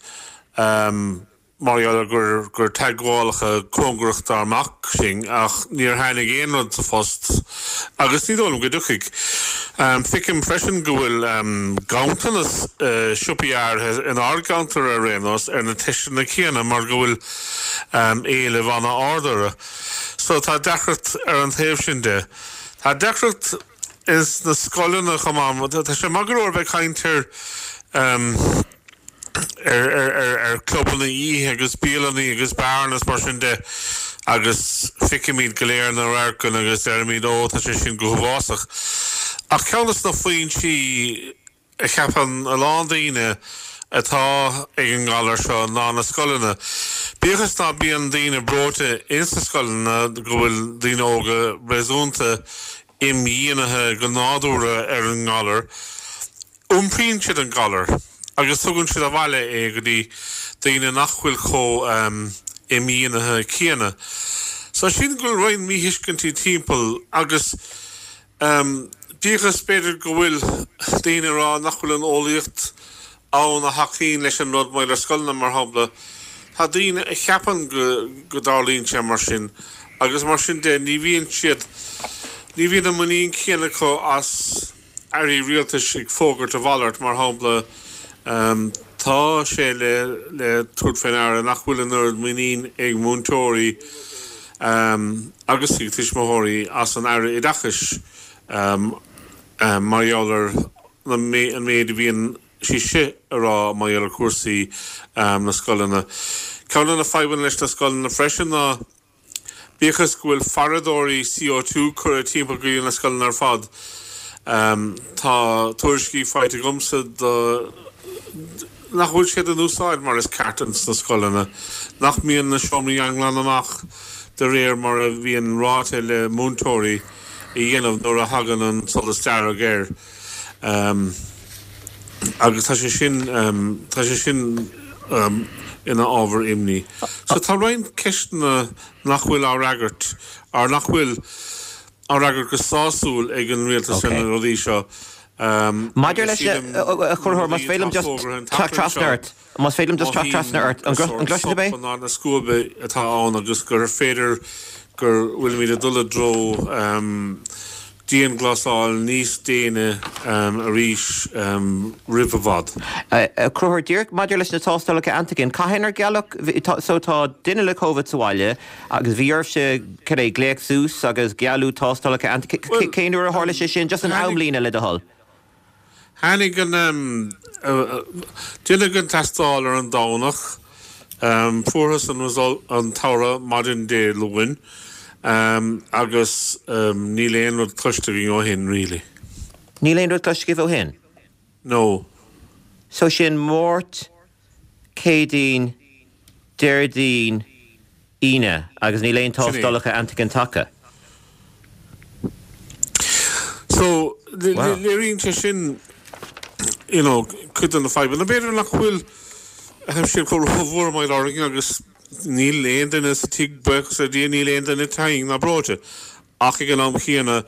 mar gheall ar gur gur teagmhálacha cóngarach dár mac sinn ach níor tháinig aon rud sa phost agus ní dóigh liom go dtiocfaidh. Feicim freisin go bhfuil ganntanas siopaí áirithe inár gceantar ar aon nós ar na teisteanna céanna mar go bhfuil éileamh an-ard orthu. So tá deacracht ar an taobh sin de. Tá deacracht ins na scoileanna chomh maith. Tá sé maith go leor bheith ag caint ar ar ar ar clubanna oíche agus bialanna agus beáranna is mar sin de agus feicimid go léir na radharcanna agus deirimid ó tá sé sin go huafásach. Ach ceann de na foinsí a cheapann a lán daoine atá ag an ngalar seo ná na scoileanna. Bíodh is ná bíonn daoine breoite ins na scoileanna go bhfuil daoine óga réasúnta imdhíonaithe go nádúrtha ar an ngalar, iompraíonn siad an galar agus tugann siad abhaile é go dtí daoine nach bhfuil chomh imdhíonaithe céanna. So sílim go bhfuil roinnt míthuiscintí timpeall agus bíodh is b'fhéidir go bhfuil daoine ag rá nach bhfuil an eolaíocht ann a thacaíonn leis an rud maidir le scoileanna mar shampla, tá daoine a cheapann go go dtarlaíonn sé mar sin agus mar sin de ní bhíonn siad, ní bhíonn an muinín céanna acu as airí rialtais ag fógairt a mhalairt mar shampla tá sé le le tabhairt faoi ndeara nach bhfuil an oiread muinín ag múinteoirí agus ag tuismitheoirí as an Aire Oideachais mar gheall ar an méid a bhíonn sí si a rá mar gheall ar chúrsaí na scoileanna. Ceann de na fadhbanna leis na scoileanna freisin ná bíodh is go bhfuil faradóirí C O two curtha timpeall go dtí na scoileanna ar fad, tá tuairiscí faighte agamsa do nach bhfuil siad in úsáid mar is ceart ins na scoileanna, nach mbíonn na seomraí á nglanadh amach de réir mar a bhíonn ráite le múinteoirí a dhéanamh nuair a thagann an solas dearg air. Agus tá sé sin, tá sé sin ina ábhar imní. So tá roinnt ceisteanna nach bhfuil á fhreagairt, or nach bhfuil á fhreagairt go sásúil ag an rialtas ar na rudaí seo. Maidir leis na, a Chonchúir, más féidir liom just teacht trasna ort, más féidir liom just teacht trasna ort, an gcloiseann tú mé? Ná na scuaibe atá ann agus gur féidir gur bhfuilimid ag dul i dtreo dianghlasáil níos déine arís roimh i bhfad. A Chonchúir, díreach maidir leis na tástálacha antigen, cathain ar gealladh, so tá duine le Covid sa bhaile agus bhí oraibhse cad é, glaoch suas agus gealladh tástálacha antigen, cén uair a tharla sé sin, just an amlíne le do thoil? Tháinig an, deineadh an tástáil ar an Domhnach, fuarthas an result, an toradh maidin Dé Luain agus níl aon rud cloiste againn ó shin really. Níl aon rud cloiste agaibh ó shin? No. So sin Máirt, Céadaoin, Déardaoin, Aoine agus níl aon tástálacha antigen tagtha? So, léiríonn sé sin, you know, cuid de na fadhbanna. B'fhéidir nach bhfuil siad chomh rómhór mar orainn agus níl aon duine sa tigh, buíochas le Dia, níl aon duine tinn ná breoite. Ach ag an am chéanna,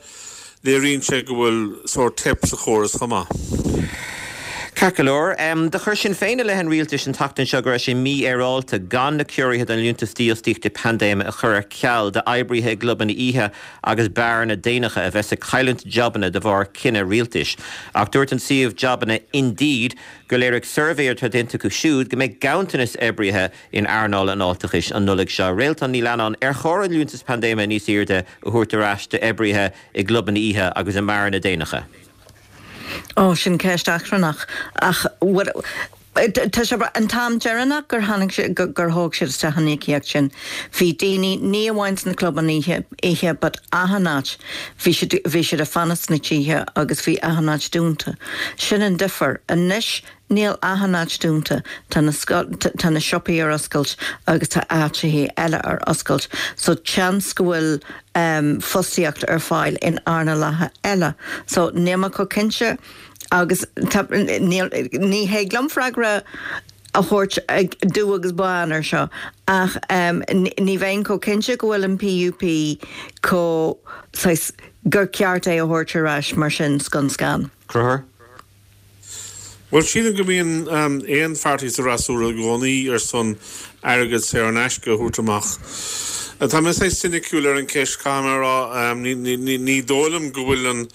léiríonn sé go bhfuil sórt teip sa chóras chomh maith. Ceart go leor. Do chuir Sinn Féin i leith an rialtais an tseachtain seo go raibh sé mífhéaráilte gan na ciorruithe don Liúntas Dífhostaíochta Paindéime a chur ar ceal d'oibrithe i gclubanna oíche agus beáranna déanacha a bheas ag cailliúint jabanna de bharr cinneadh rialtais. Ach dúirt an suíomh jabanna Indeed gur léirigh suirbhé atá déanta acu siúd go mbeidh ganntanas oibrithe in earnáil an fháilteachais an Nollaig seo. Réaltán Ní Leannáin, ar chóir an Liúntas Paindéime níos airde a thabhairt ar ais d'oibrithe i gclubanna oíche agus i mbeáranna déanacha? Ó, sin ceist achrannach. Ach tá sé an t-am deireanach gur tháinig sé, gur thóg siad isteach an íocaíocht sin, bhí daoine, ní amháin sna clubanna oíche, oíche but achan áit, bhí siad, bhí siad ag fanacht sna tithe agus bhí achan áit dúnta. Sin an difear. Anois níl achan áit dúnta, tá na tá na siopaí ar oscailt agus tá áiteacha eile ar oscailt so seans go bhfuil fostaíocht ar fáil in earnálacha eile. So níl mé chomh cinnte agus tá níl ní thig liom freagra a thabhairt ag dubh agus bán ar seo ach um, ní bheinn chomh cinnte go bhfuil an P U P chomh saghas gur ceart é a thabhairt ar ais mar sin scun scan. Conchúr? Bhuel, sílim go mbíonn um, aon pháirtí sa fhreasúra i gcónaí ar son airgead saor in aisce a thabhairt amach. Tá mé saghas soiniciúil ar an ceist camrá um, ní, ní, ní, ní dóigh liom go bhfuil an,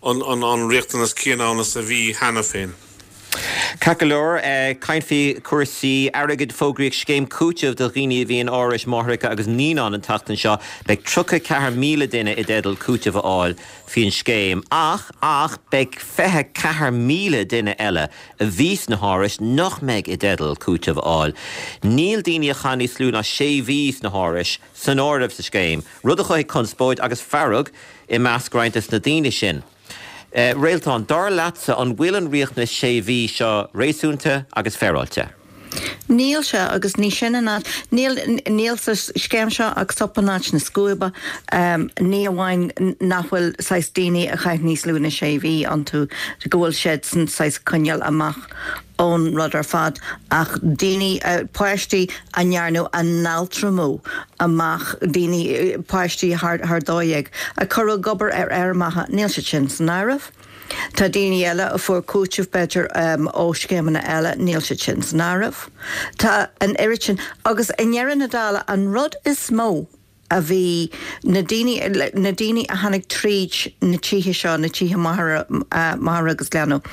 an, an, an riachtanas céanna ann is a bhí cheana féin. Ceart go leor, caint faoi cúrsaí airgid. Fógraíodh scéim cúitimh do dhaoine a bhí in árais máithreacha agus naíonán an tseachtain seo. Beidh tríocha ceathair míle duine i dteideal cúiteamh a fháil faoin scéim, ach ach beidh fiche ceathair míle duine eile a bhí sna hárais nach mbeidh i dteideal cúiteamh a fháil. Níl daoine a chaith níos lú ná sé mhí sna hárais san áireamh sa scéim, rud a chothaigh conspóid agus fearg i measc roinnt des na daoine sin. Uh, Réaltán, dar leatsa, an bhfuil an riachtanas sé mhí seo réasúnta agus féaráilte? Níl sé agus ní sin an áit níl níl sa scéim seo ach sop in áit na scuaibe um, ní amháin nach bhfuil saghas daoine a chaith níos lú ná sé mhí iontu go bhfuil siad san saghas coinneáil amach ón rud ar fad ach daoine uh, páistí a ndearnadh a n-altramú amach, daoine páistí thar thar dó dhéag a cuireadh ag obair ar fheirmeacha, níl siad sin san áireamh. Tá daoine eile a fuair cúiteamh b'fhéidir um, ó scéimeanna eile, níl siad sin san áireamh. Tá an oiread sin agus i ndeireadh na dála an rud is mó a bhí na daoine na daoine a tháinig tríd na tithe seo, na tithe máthar agus leanbh.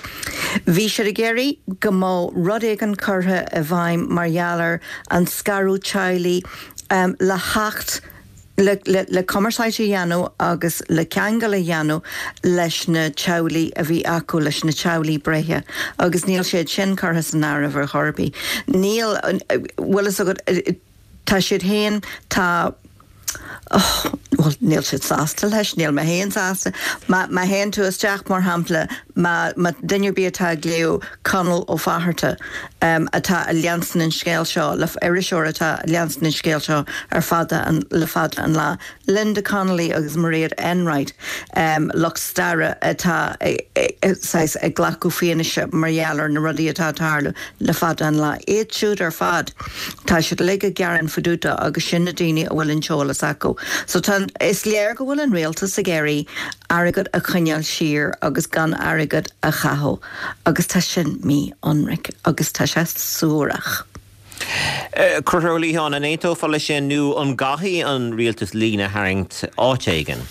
Bhí siad ag iarraidh go mbeadh rud éigin curtha i bhfeidhm mar gheall ar an scaradh teaghlaigh um, le theacht le, le, le cumarsáid a dhéanamh agus le ceangal a dhéanamh leis na teaghlaigh a bhí acu, leis na teaghlaigh breithe agus níl siad sin curtha san áireamh ar chor ar bith. Níl bhfuil agat tá siad féin tá Oh, well, níl siad sásta leis, níl mé féin sásta. Má má théann tú isteach mar shampla má má duine ar bith atá ag léamh Conall Ó Fátharta um, atá ag leanstan an scéal seo le iriseoir atá ag leanstan an scéal seo ar fada an, le fada an lá. Linda Connolly agus Mairéad Enright um, lucht staire atá saghas ag glacadh fianaise mar gheall ar na rudaí atá ag tarlú le fada an lá. Iad siúd ar fad tá siad uilig ag gearán fá dtaobh de agus sin na daoine a bhfuil an t-eolas acu. So tá is léir go bhfuil an rialtas ag iarraidh airgead a choinneáil siar agus gan airgead a chaitheamh agus tá sin mí-ionraic agus tá sé suarach. Conchúr Ó Liatháin, an aontófá leis sin nó an gcaithfidh an rialtas líne a tharraingt áit éigin?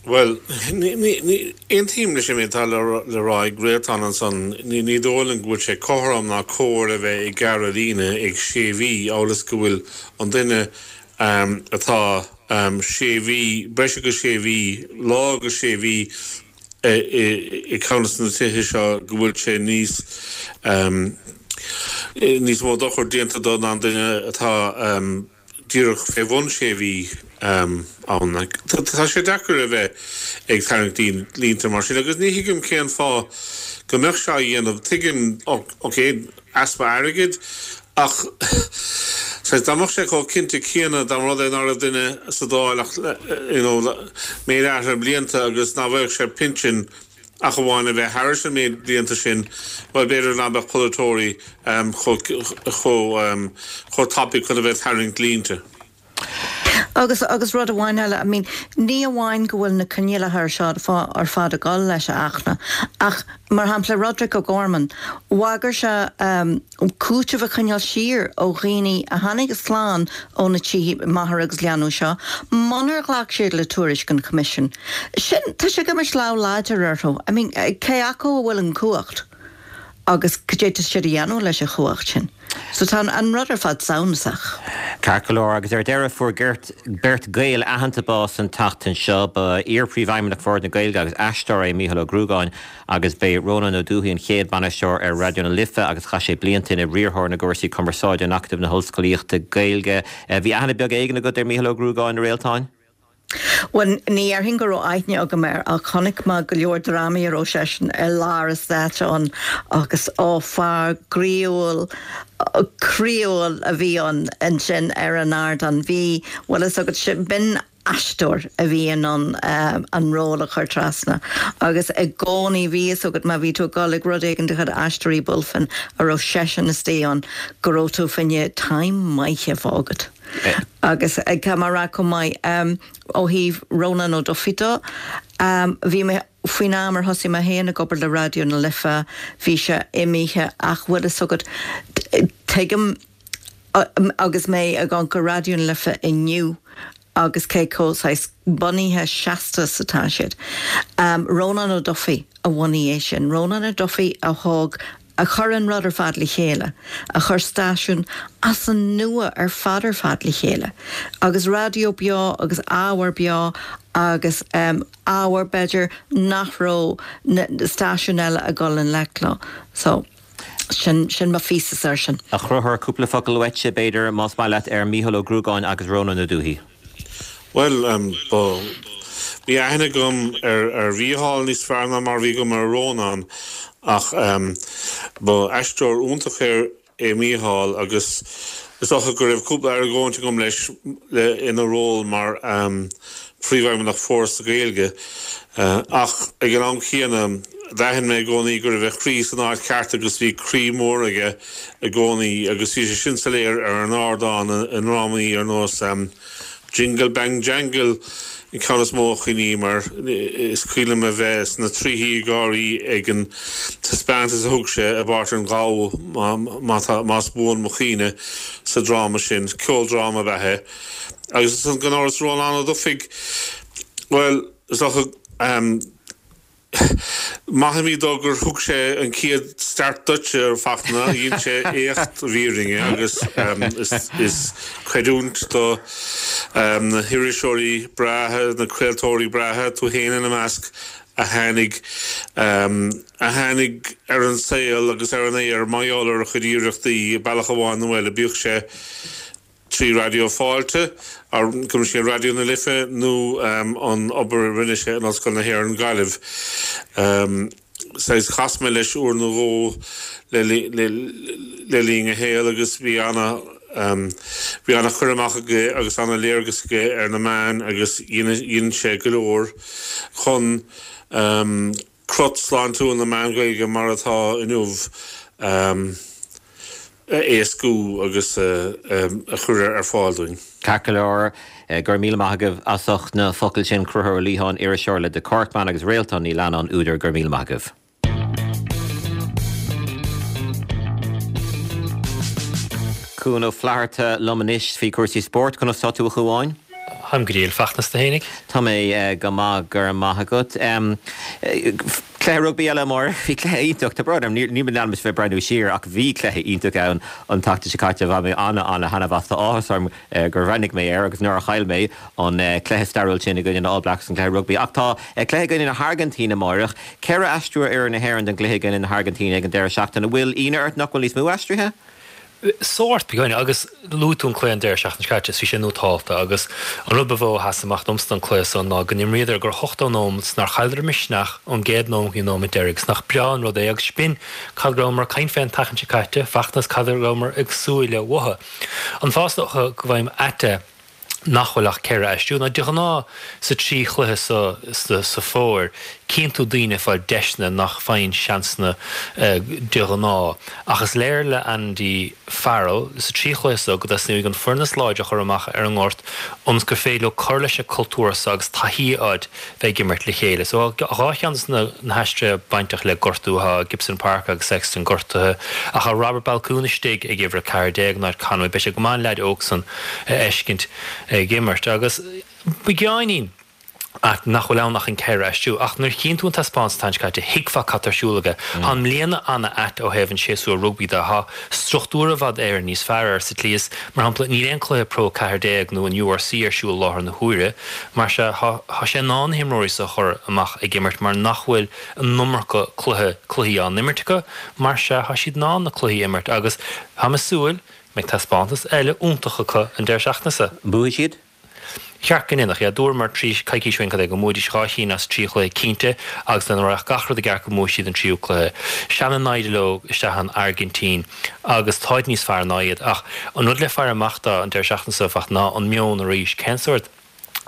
Well, aontaím leis an méid atá le rá ag Réaltán ansan. ní ní dóigh liom go bhfuil sé cothrom ná cóir a bheith ag gearradh líne ag sé mhí amhail is go bhfuil an duine um, atá um, sé mhí breis agus sé mhí lá agus sé mhí i gceann de na tithe seo go bhfuil sé níos um, níos mó dochar déanta do ná an duine atá um, díreach fé bhun sé mhí um, ann. Tá sé deacair a bheith ag tarraingt línte mar sin agus ní thuigim cén fáth go mbeadh sé á dhéanamh. Tuigim, ok, easpa airgid ach dá mbeadh sé chomh cinnte céanna dá rud é nach raibh duine sa Dáil ach méid áirithe blianta agus ná bheadh sé pinsean ach amháin a bheith thar an méid blianta sin, well b'fhéidir nach mbeadh polaiteoirí chomh chomh tapaidh chun a bheith tarraingt línte. Agus agus rud amháin eile, I mean, ní amháin go bhfuil na coinníollacha seo ar fad ag dul leis a achna, ach mar shampla Roderick O'Gorman, bhagair sé um, cúiteamh a choinneáil siar ó dhaoine a tháinig slán ó na tithe máthar agus leanbh seo, munar ghlac siad le tuairisc an Choimisiúin. Sin tá sé go lá láidir orthu. I mean, cé acu a bhfuil an cumhacht agus cad é siad a dhéanamh leis an chumhacht sin. So tá an rud ar fad samhnasach. Ceart go leor agus ar deireadh fuair beirt Gael aitheanta bás an tseachtain seo. Ba iar-phríomhfheidhmeannach Bhord na Gaeilge agus aisteoir é Mícheál Ó Gruagáin agus b'é Rónán Ó Dubhthaigh an chéad bainisteoir ar Raidió na Life agus chaith sé blianta ina riarthóir na gcúrsaí cumarsáide in Acadamh na hOllscolaíochta Gaeilge. Bhí aithne beag éigin agat ar Mícheál Ó Gruagáin, a Réaltáin? Well ní déarfainn go raibh aithne agam air ach chonaic mé go leor drámaí a raibh seisean i lár an stáitse ann agus ó fear groíúil croíúil a bhí ann ansin ar an ardán. Bhí bhfuil a fhios agat sin b'in aisteoir a bhí in ann an ról a chur trasna agus i gcónaí bhí fhios agat má bhí tú ag dul ag rud éigin de chuid Aisteoirí Bulfin a raibh seisean istigh ann go raibh tú fá choinne time maith a bheith agat. Agus tá mé a rá chomh maith ó thaobh Rónán Ó Dufaigh de, bhí mé faoin am ar thosaigh mé féin ag obair le Raidió na Life bhí sé imithe ach bhfuil fhios agat tuigim agus mé ag amharc ar Raidió na Life inniu agus cé chomh saghas bunaithe seasta is atá siad. Rónán Ó Dufaigh a bhunaigh é sin. Rónán Ó Dufaigh a thóg, a chuir an rud ar fad le chéile, a chuir stáisiún as an nua ar fad ar fad le chéile. Agus raidió beo agus ábhar beo agus ábhar b'fhéidir nach raibh na stáisiúin eile ag dul i ngleic leo. So. Sin, sin mo phíosa air sin. A Chonchúir, cúpla focal uaitse, b'fhéidir, más maith leat, ar Mícheál Ó Gruagáin agus Rónán Ó Dubhthaigh. Bhuel, ba, bhí aithne agam ar, ar Mhícheál níos fearr ná mar a bhí agam ar Rónán ach ba aisteoir iontach é, é Mícheál agus is dócha go raibh cúpla argóint agam leis le, ina ról mar Phríomhfheidhmeannach Foras na Gaeilge. Ach ag an am chéanna, d'aithin mé i gcónaí go raibh a chroí san áit cheart agus bhí croí mór aige i gcónaí agus bhí sé sin soiléir ar an ardán i ndrámaí ar nós Jingle Bang Jangle an ceann is mó a chuimhním air. Is cuimhin liom a bheith sna tríthí ag gáirí ag an taispeántas a thug sé i bpáirt an ghabha, más buan mo chuimhne, sa dráma sin. Ceoldráma ab ea é. Agus ansan gan amhras Rónán Ó Dufaigh, bhuel, is dócha, maithimid dó gur thug sé an chéad start duitse a Fhachtna, dhein sé éacht i bhfírinne agus is creidiúint do na hiriseoirí breátha, na craoltóirí breátha, tú féin ina measc, a tháinig a tháinig ar an saol agus ar an aer mar gheall ar a chuid iarrachtaí, bealach amháin nó eile, bíodh sé trí Raidió Fáilte, gabh mo leithscéal Raidió na Life nó an obair a rinne sé in Ollscoil na hÉireann Gaillimh. Saghas chas mé leis uair nó dhó le le linn a shaoil agus bhí ana bhí ana chur amach aige agus ana léargas aige ar na meáin agus dhein sé go leor chun crot sláintiúil na meán Gaeilge mar atá inniu a éascú agus a chur ar fáil dúinn. Ceart go leor, go raibh míle maith agaibh as ucht na focail sin, Conchúr Ó Liatháin, iriseoir le The Corkman agus Réaltán Ní Leannáin, údar, go raibh míle maith agaibh. Cuan Ó Flatharta liom anois faoi chúrsaí spóirt. Conas tá tú a Chuáin? Táim go diail, Fachtna, 's tú fhéinig? Tá mé go maith, go raibh maith agat. Cluiche rugbaí eile amárach, bhí cluiche iontach, tá brón orm, níl mé in ainm is bheith ag breathnú siar ach bhí cluiche iontach ann an tseachtain seo caite, bhain mé ana-ana-thaitneamh as, tá áthas orm gur bhreathnaigh mé air agus nár chaill mé an cluiche stairiúil sin i gcoinne na All Blacks, an cluiche rugbaí. Ach tá cluiche i gcoinne na hAirgintíne amárach, ceithre aistriú ar fhoireann na hÉireann don gcluiche i gcoinne na hAirgintíne ag an deireadh seachtaine. An bhfuil ionadh ort nach bhfuil níos mó aistrithe? Sórt, beagáinín, agus luaigh tú an cluiche an deireadh seachtaine seo caite, is bhí sé nótálta, agus an rud ba mhó a sheas amach domsa don cluiche san ná go n-imríodar gur hochtó nóiméad 's nár chailleadar misneach ón gcéad nóiméad go dtí an nóiméad deiridh, 's nach breá an rud é, agus b'in cad go rabhamar ag caint fé an tseachtain seo caite, Fachtna, 's cad a rabhamar ag súil le uathu. An fáth is dócha go bhfaighim ait é nach bhfuil ach ceithre aistriú ná de ghnáth sa trí chluiche so sa fómhar cíonn tú daoine ag fáil deiseanna nach bhfaigheann seansanna de ghnáth. Ach is léir le Andy Farrell sa trí chluiche so go dteastaíonn uaidh an foireann is láidre a chur amach ar an ngort ionas gur féidir leo cur leis an cultúr so agus taithí a fháil bheith ag imirt le chéile. So tá dhá cheann de na haistrithe bainteach le gortú, tá Gibson Park agus Sexton gortaithe ach tá Robert Baloucoune istigh ag uimhir a ceathair déag in áit Conway. Beidh sé go maith an leaid óg san a fheiscint ag imirt agus beagáinín ait nach bhfuil ann ach an ceithre aistriú. Ach nuair a chíonn tú an taispeántas an tseachtain seo caite, thuigfeá cad tá ar siúl aige. Tá an mbliana ana-ait ó thaobh an séasúr rugbaí de. Tá struchtúr i bhfad Éireann níos fearr air sa tslí is, mar shampla, níl aon cluiche Pro a ceathair déag nó an URC ar siúl i láthair na huaire. Mar sea, tá sé in ann na himreoirí so a chur amach ag imirt mar nach bhfuil an iomarca cluiche, cluichí á n-imirt acu. Mar sea, tá siad in ann na cluichí a imirt agus táim ag súil go mbeidh taispeántas eile iontach acu an deireadh seachtaine seo. Buafaidh siad? Cheart go ndéanfadh, yeah. Dúramar trí coicís ó shin cad é go mbuafaidís dhá chinn as trí chluiche cinnte agus dá rachadh gach rud i gceart go mbuafaidh siad an tríú cluiche. Seana-naimhde leo isteach an Airgintín agus táid níos fearr ná iad ach an rud le faire amach dó an deireadh seachtaine seo, ná an meon arís. Cén sórt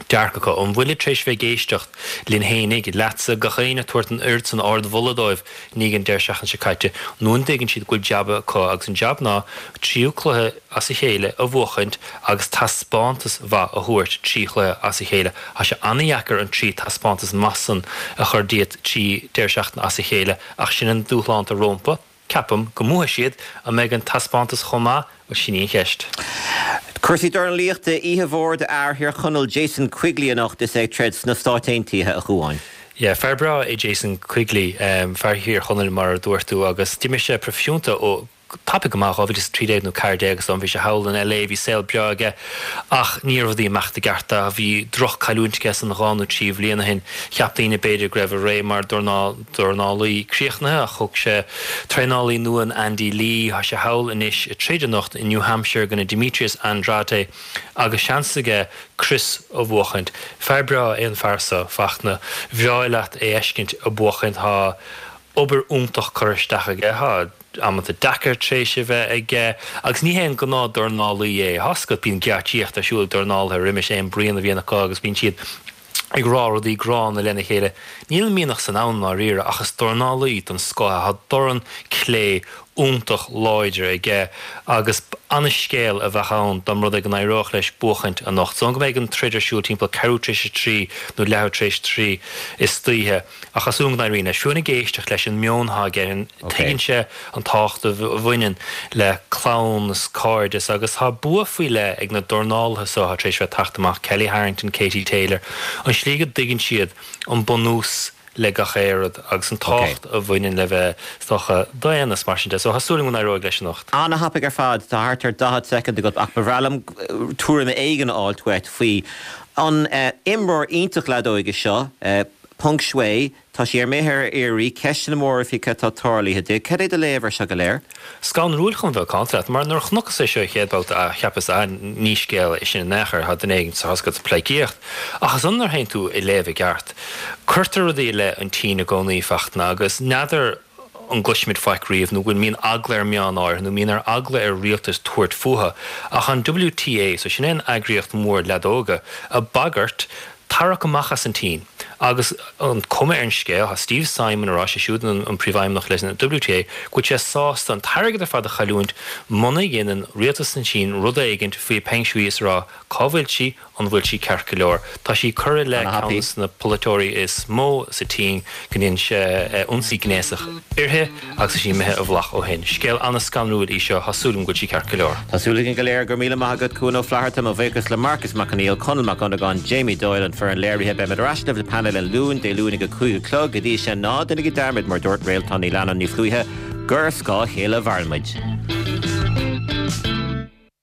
dearcadh acu. An bhfuilid tar éis bheith ag éisteacht linn fhéinig, leatsa, gach éinne ag tabhairt an oiread san ardmholadh dóibh i ndiaidh an deireadh seachtaine seo caite, nó an dtuigeann siad go bhfuil jab acu agus an jab ná tríú cluiche as a chéile a bhuachaint agus taispeántas mhaith a thabhairt trí chluiche as a chéile. Tá sé an-dheacair an trí taispeántas maith san a chur díot trí deireadh seachtaine as a chéile ach sin an dúshlán atá rompu. Ceapaim go mbuafaidh siad. An mbeidh an taispeántas chomh maith? Bhuel, sin í an cheist. Cúrsaí dornálaíochta, oíche mhór d'fhear Thír Chonaill Jason Quigley anocht is é ag troid sna Stáit Aontaithe, a Chuáin. Yeah, fear breá é Jason Quigley, fear Thír Chonaill mar a dúirt tú agus d'imir sé proifisiúnta ó tapaidh go maith, dhá mhíle is a trí déag nó ceathair déag is dóigh liom, bhí sé thall in LA, bhí saol breá aige ach ní raibh rudaí ag imeacht i gceart dó, bhí droch-cailliúint aige san dhá nó trí bhliain ó shin, cheap daoine b'fhéidir go raibh a ré mar dornálaí críochnaithe ach thóg sé traenálaí nua in Andy Lee, tá sé thall anois ag troid anocht i New Hampshire i gcoinne Demetrius Andrade agus seans aige crios a bhuachaint. Fear breá é an fear seo, Fachtna, bhreá leat é fheiscint ag buachaint, tá obair iontach curtha isteach aige, tá amanta deacair tar éis a bheith aige agus ní hé an gnáth dornálaí é. Tá a fhios agat, bíonn geáitsíocht ar siúl ag dornálaithe roimis aon bruíon a bhíonn acu agus bíonn siad ag rá rudaí gránna lena chéile. Níl an mianach san ann i ndáiríre ach is dornálaí den scoth é. Tá dorn clé iontach láidir aige agus an-scéal a bheadh ann dá mba rud é go n-éireodh leis buachaint anocht. Is dóigh liom go mbeidh an troid ar siúl timpeall ceathrú tar éis a trí nó leathuair tar éis a trí istoíche ach tá súil agam go n-éiríonn leis. Fiú ag éisteacht leis an meon atá aige, tuigeann sé an tábhacht a bhaineann le clann is cairdeas agus tá bua faoi leith ag na dornálaithe seo atá tar éis bheith ag teacht amach, Kelly Harrington, Katie Taylor, an tslí go dtuigeann siad an bunús le gach aon rud agus an tábhacht a bhaineann le bheith, is dócha, daonna is mar sin de. So tá súil agam go n-éireoidh leis anocht. An-thapaidh ar fad, tá thart ar daichead soicind agat ach ba bhreá liom tuairim éigin a fháilt uait faoi an imreoir iontach leadóige seo, Peng Shuai, tá sí imithe ar iarraidh, ceisteanna móra faoi cad tá tarlaithe di. Cad é do léamh ar seo go léir? Scanrúil chun bheith macánta leat, mar nuair a chonacthas é seo an chéad babhta, cheapas, ah, ní scéal é sin in aon chor, tá duine éigin sa chosc ag pleidhcíocht. Ach ansan nuair a théann tú ag léamh i gceart, cuirtear rudaí i leith an tSín i gcónaí, Fachtna, agus n'fheadar an gcloisfimid faic riamh nó go bhfuil mbíonn eagla ar meáin áirithe nó mbíonn ar eagla ar rialtas tabhairt fúthu. Ach an WTA, so sin é an eagraíocht mhór leadóga, ag bagairt tarrac amach as an tSín. Agus an cuma ar an scéal, tá Steve Simon ag rá, sé siúd an príomhfheidhmeannach leis an WTA, go bhfuil sé sásta an t-airgead ar fad a chailliúint muna dhéanann rialtas na Síne rud éigint faoi Peng Shuai is a rá cá bhfuil sí, an bhfuil sí ceart go leor. Tá sí ag cur i leith ceann de na polaiteoirí is mó sa tSín go ndearna sé ionsaí gnéasach uirthi agus tá sí imithe i bhfolach ó shin. Scéal an-scanrúil í seo, tá súil agam go bhfuil sí ceart go leor. Tá súil againn go léir. Go raibh míle maith agat, Cuan Ó Flatharta. Mo bhuíochas le Marcus Mac Conghail, Conall Mac Dhonnagáin, Jamie Doyle, an foireann léirithe. Beimid ar ais libh le painéal an Luain, Dé Luain ag a cúig a chlog. Go dtí sin, ná déanaigí dearmad, mar dúirt Réaltán Ní Leannáin Ní Chluaithe, gur ar scáth a chéile a mhaireann muid.